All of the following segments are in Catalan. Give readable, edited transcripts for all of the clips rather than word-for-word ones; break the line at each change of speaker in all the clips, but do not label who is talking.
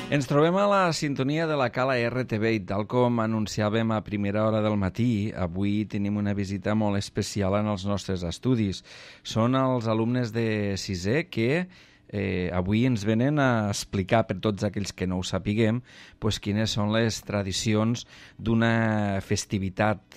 Ens trobem a la sintonia de la Cala RTV i tal com anunciàvem a primera hora del matí, avui tenim una visita molt especial en els nostres estudis. Són els alumnes de sisè que avui ens venen a explicar per tots aquells que no ho sapiguem quines són les tradicions d'una festivitat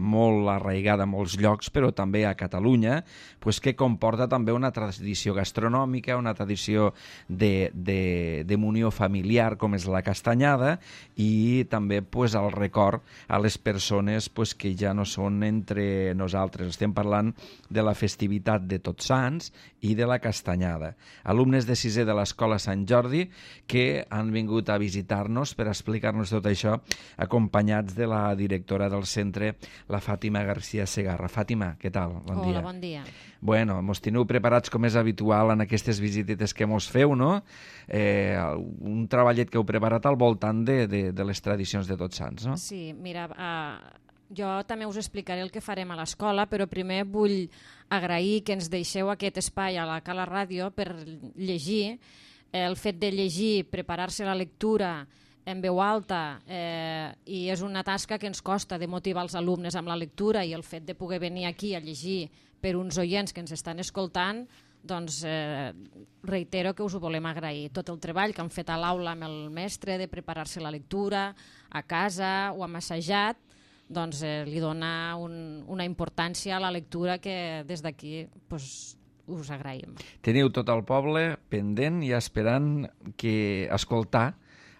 molt arraigada a molts llocs, però també a Catalunya, que comporta també una tradició gastronòmica, una tradició d'unió familiar com és la castanyada i també el record a les persones que ja no són entre nosaltres. Estem parlant de la festivitat de Tots Sants i de la castanyada. Alumnes de sisè de l'Escola Sant Jordi que han vingut a visitar-nos per explicar-nos tot això, acompanyats de la directora del centre, la Fàtima García Segarra. Fàtima, què tal? Bon dia.
Hola, bon dia.
Bueno, mos teniu preparats com és habitual en aquestes visitetes que mos feu, no? Un treballet que heu preparat al voltant de les tradicions de Tots Sants, no?
Sí, mira, jo també us explicaré el que farem a l'escola, però primer vull agrair que ens deixeu aquest espai a la Cala Ràdio per llegir. El fet de llegir, preparar-se la lectura en veu alta, i és una tasca que ens costa de motivar els alumnes amb la lectura, i el fet de poder venir aquí a llegir per uns oients que ens estan escoltant, doncs reitero que us ho volem agrair. Tot el treball que han fet a l'aula amb el mestre de preparar-se la lectura, a casa o hem assajat, doncs li dona una importància a la lectura que des d'aquí us agraïm.
Teniu tot el poble pendent i esperant escoltar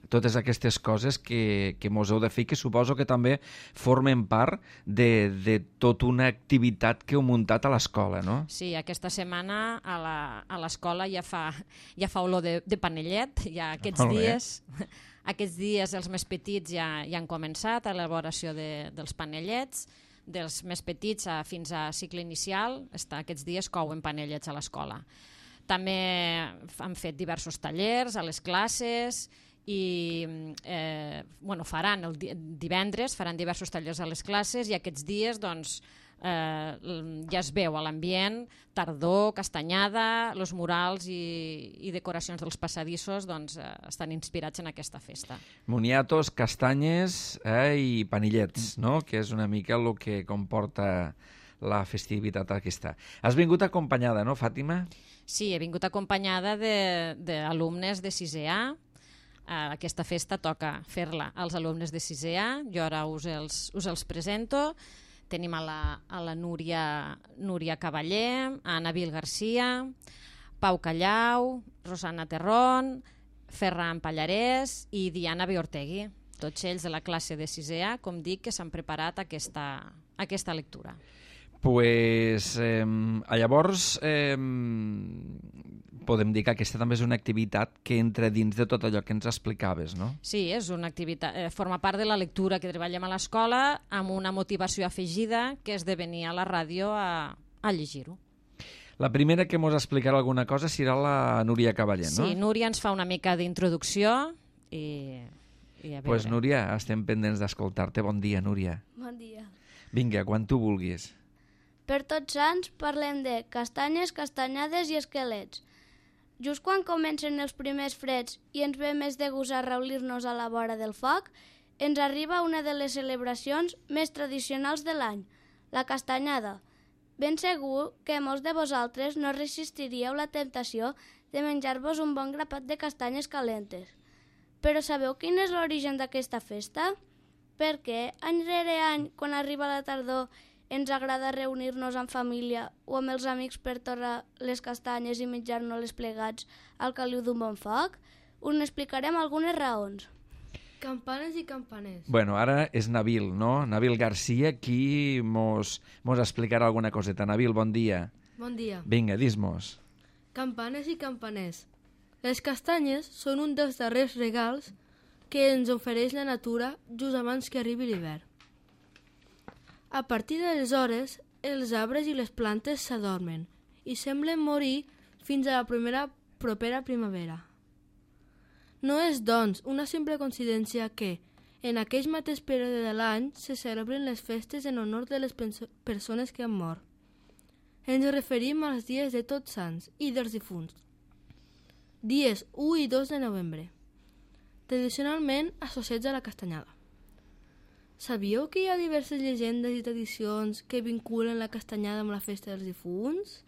totes aquestes coses que mos heu de fer i que suposo que també formen part de tota una activitat que heu muntat a l'escola, no?
Sí, aquesta setmana a l'escola ja fa olor de panellet, ja aquests dies els més petits ja han començat a l'elaboració dels panellets, dels més petits fins a cicle inicial, aquests dies couen panellets a l'escola. També han fet diversos tallers a les classes i faran divendres diversos tallers a les classes, i aquests dies ja es veu a l'ambient tardor, castanyada, els murals i decoracions dels passadissos estan inspirats en aquesta festa.
Moniatos, castanyes i panellets, no? Que és una mica el que comporta la festivitat aquesta. Has vingut acompanyada, no, Fàtima?
Sí, he vingut acompanyada d'alumnes de 6è A. Aquesta festa toca fer-la als alumnes de 6è A, jo ara us els presento. Tenim a la Núria Cavaller, a Nabil Garcia, Pau Callau, Rosana Terrón, Ferran Pallarès i Diana Biortegui, tots ells de la classe de 6è A, com dic, que s'han preparat aquesta lectura.
Llavors podem dir que aquesta també és una activitat que entra dins de tot allò que ens explicaves, no?
Sí, és una activitat, forma part de la lectura que treballem a l'escola, amb una motivació afegida, que és de venir a la ràdio a llegir-ho.
La primera que ens explicarà alguna cosa serà la Núria Cavaller, no?
Sí, Núria ens fa una mica d'introducció i a veure.
Doncs Núria, estem pendents d'escoltar-te. Bon dia, Núria.
Bon dia.
Vinga, quan tu vulguis.
Per Tots Sants parlem de castanyes, castanyades i esquelets. Just quan comencen els primers freds i ens ve més de gust a reunir-nos a la vora del foc, ens arriba una de les celebracions més tradicionals de l'any, la castanyada. Ben segur que molts de vosaltres no resistiríeu la temptació de menjar-vos un bon grapat de castanyes calentes. Però sabeu quin és l'origen d'aquesta festa? Perquè any rere any, quan arriba la tardor, ens agrada reunir-nos en família o amb els amics per torrar les castanyes i menjar-nos-les plegats al caliu d'un bon foc? Us n'explicarem algunes raons.
Campanes i campaners.
Bueno, ara és Nabil, no? Nabil Garcia, qui mos explicarà alguna coseta. Nabil, bon dia.
Bon dia.
Vinga, dis-mos.
Campanes i campaners. Les castanyes són un dels darrers regals que ens ofereix la natura just abans que arribi l'hivern. A partir d'aleshores, els arbres i les plantes s'adormen i semblen morir fins a la propera primavera. No és, doncs, una simple coincidència que, en aquell mateix període de l'any, se celebren les festes en honor de les persones que han mort. Ens referim als dies de Tots Sants i dels difunts, dies 1 i 2 de novembre. tradicionalment associats a la castanyada. Sabíeu que hi ha diverses llegendes i tradicions que vinculen la castanyada amb la festa dels difunts?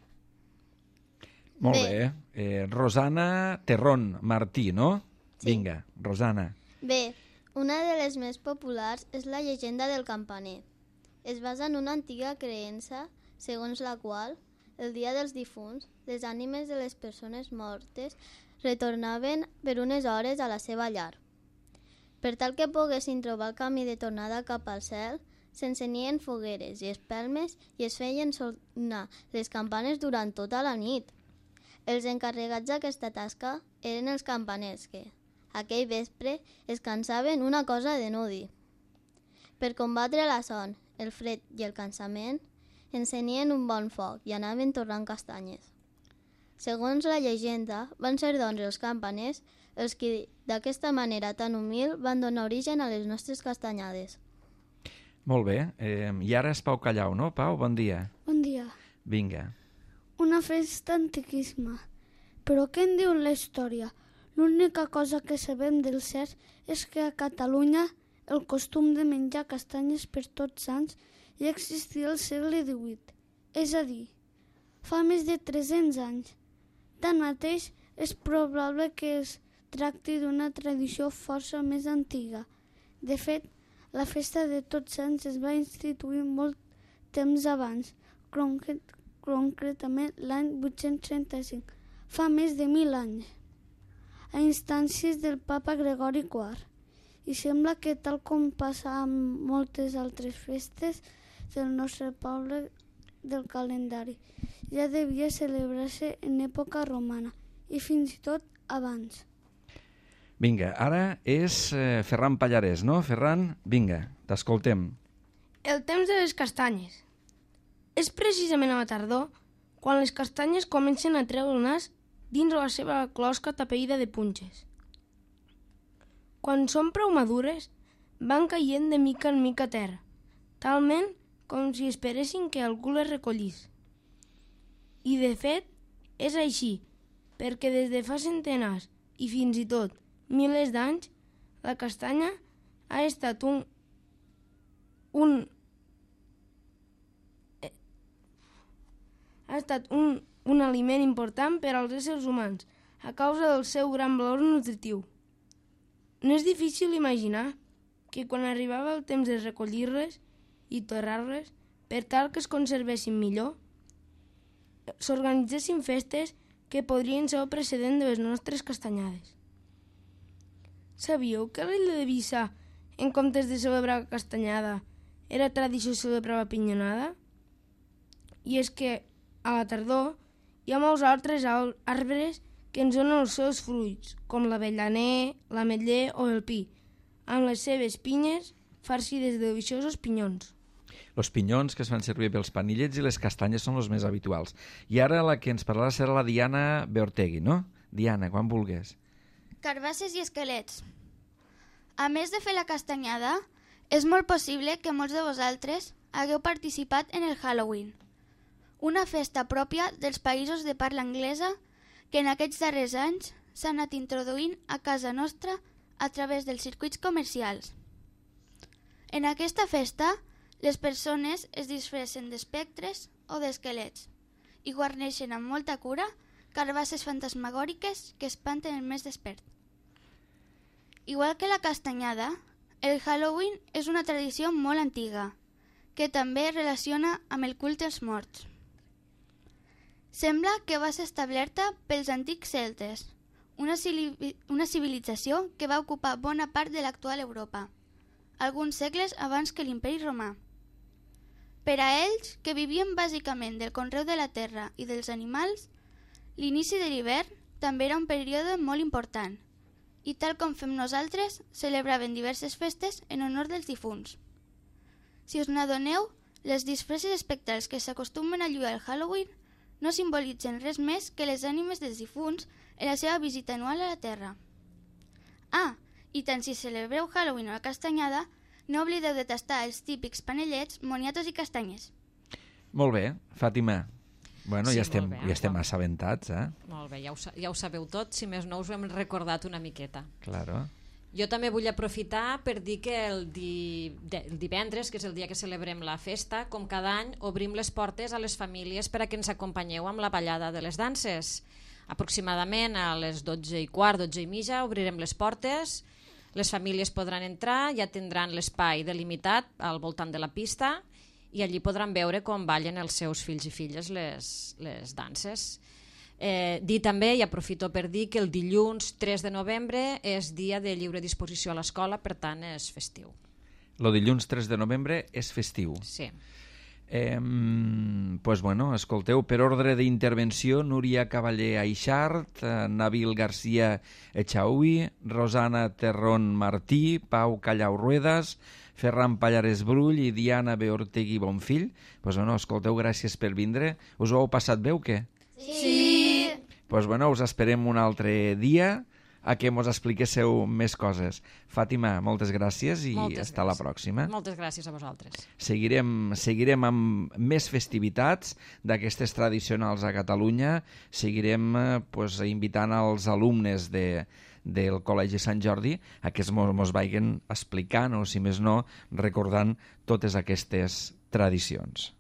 Molt bé. Rosana Terrón Martí, no?
Sí.
Vinga, Rosana.
Bé, una de les més populars és la llegenda del campaner. Es basa en una antiga creença segons la qual, el dia dels difunts, les ànimes de les persones mortes retornaven per unes hores a la seva llar. Per tal que poguessin trobar el camí de tornada cap al cel, s'encenien fogueres i espelmes i es feien sonar les campanes durant tota la nit. Els encarregats d'aquesta tasca eren els campaners que, aquell vespre, es cansaven una cosa de no dir. Per combatre la son, el fred i el cansament, encenien un bon foc i anaven torrant castanyes. Segons la llegenda, van ser doncs els campaners els que d'aquesta manera tan humil van donar origen a les nostres castanyades.
Molt bé. I ara és Pau Callau, no? Pau, bon dia.
Bon dia.
Vinga.
Una festa antiquíssima. Però què en diu la història? L'única cosa que sabem del cert és que a Catalunya el costum de menjar castanyes per Tots Sants ja existia al segle XVIII, és a dir, fa més de 300 anys. Tanmateix, és probable que es tracti d'una tradició força més antiga. De fet, la festa de Tots Sants es va instituir molt temps abans, concretament l'any 835, fa més de 1.000 anys, a instàncies del papa Gregori IV. I sembla que, tal com passa amb moltes altres festes del nostre poble del calendari, ja devia celebrar-se en època romana i fins i tot abans.
Vinga, ara és Ferran Pallarès, no? Ferran, vinga, t'escoltem.
El temps de les castanyes. És precisament a la tardor quan les castanyes comencen a treure el nas dins la seva closca tapeïda de punxes. Quan són prou madures, van caient de mica en mica a terra, talment com si esperessin que algú les recollís. I de fet, és així, perquè des de fa centenars i fins i tot milers d'anys, la castanya ha estat un aliment important per als éssers humans a causa del seu gran valor nutritiu. No és difícil imaginar que quan arribava el temps de recollir-les i torrar-les per tal que es conservessin millor, s'organitzessin festes que podrien ser el precedent de les nostres castanyades. Sabíeu que a l'illa d'Eivissa, en comptes de celebrar castanyada, era tradició celebrar la pinyonada? I és que, a la tardor, hi ha molts altres arbres que ens donen els seus fruits, com l'avellaner, l'ametller o el pi, amb les seves pinyes farcides de deliciosos pinyons.
Els pinyons que es fan servir pels panillets i les castanyes són els més habituals. I ara la que ens parlarà serà la Diana Beortegui, no? Diana, quan vulgues.
Carbasses i esquelets. A més de fer la castanyada, és molt possible que molts de vosaltres hagueu participat en el Halloween, una festa pròpia dels països de parla anglesa que en aquests darrers anys s'ha anat introduint a casa nostra a través dels circuits comercials. En aquesta festa, les persones es disfressen d'espectres o d'esquelets i guarneixen amb molta cura carbasses fantasmagòriques que espanten el més despert. Igual que la castanyada, el Halloween és una tradició molt antiga, que també es relaciona amb el culte als morts. Sembla que va ser establerta pels antics celtes, una civilització que va ocupar bona part de l'actual Europa, alguns segles abans que l'Imperi Romà. Per a ells, que vivien bàsicament del conreu de la terra i dels animals, l'inici de l'hivern també era un període molt important i, tal com fem nosaltres, celebraven diverses festes en honor dels difunts. Si us n'adoneu, les disfresses espectrals que s'acostumen a lluir al Halloween no simbolitzen res més que les ànimes dels difunts en la seva visita anual a la Terra. Ah, i tant si celebreu Halloween o la castanyada, no oblideu de tastar els típics panellets, moniatos i castanyes.
Molt bé, Fàtima. Bueno,
Sí,
ja estem
molt bé,
assabentats, eh?
Molt bé, ja ho sabeu tot, si més no us ho hem recordat una miqueta.
Claro.
Jo també vull aprofitar per dir que el divendres, que és el dia que celebrem la festa, com cada any, obrim les portes a les famílies per a que ens acompanyeu amb la ballada de les danses. Aproximadament a les 12:15, 12:30, obrirem les portes, les famílies podran entrar, ja tindran l'espai delimitat al voltant de la pista i allí podran veure com ballen els seus fills i filles les danses. Dir també, i aprofito per dir, que el dilluns 3 de novembre és dia de lliure disposició a l'escola, per tant és festiu.
El dilluns 3 de novembre és festiu.
Sí.
Pues bueno, escolteu, per ordre d'intervenció, Núria Cavaller Aixart, Nabil García Echaui, Rosana Terrón Martí, Pau Callau Ruedas, Ferran Pallares Brull i Diana B. Ortegui Bonfill. Pues bueno, escolteu, gràcies per vindre. Us ho heu passat bé o què?
Sí!
Pues bueno, us esperem un altre dia a que mos expliquéssiu més coses. Fàtima, moltes gràcies i hasta la pròxima.
Moltes gràcies a vosaltres.
Seguirem amb més festivitats d'aquestes tradicionals a Catalunya. Seguirem invitant als alumnes del Col·legi Sant Jordi a que mos vagin explicant o, si més no, recordant totes aquestes tradicions.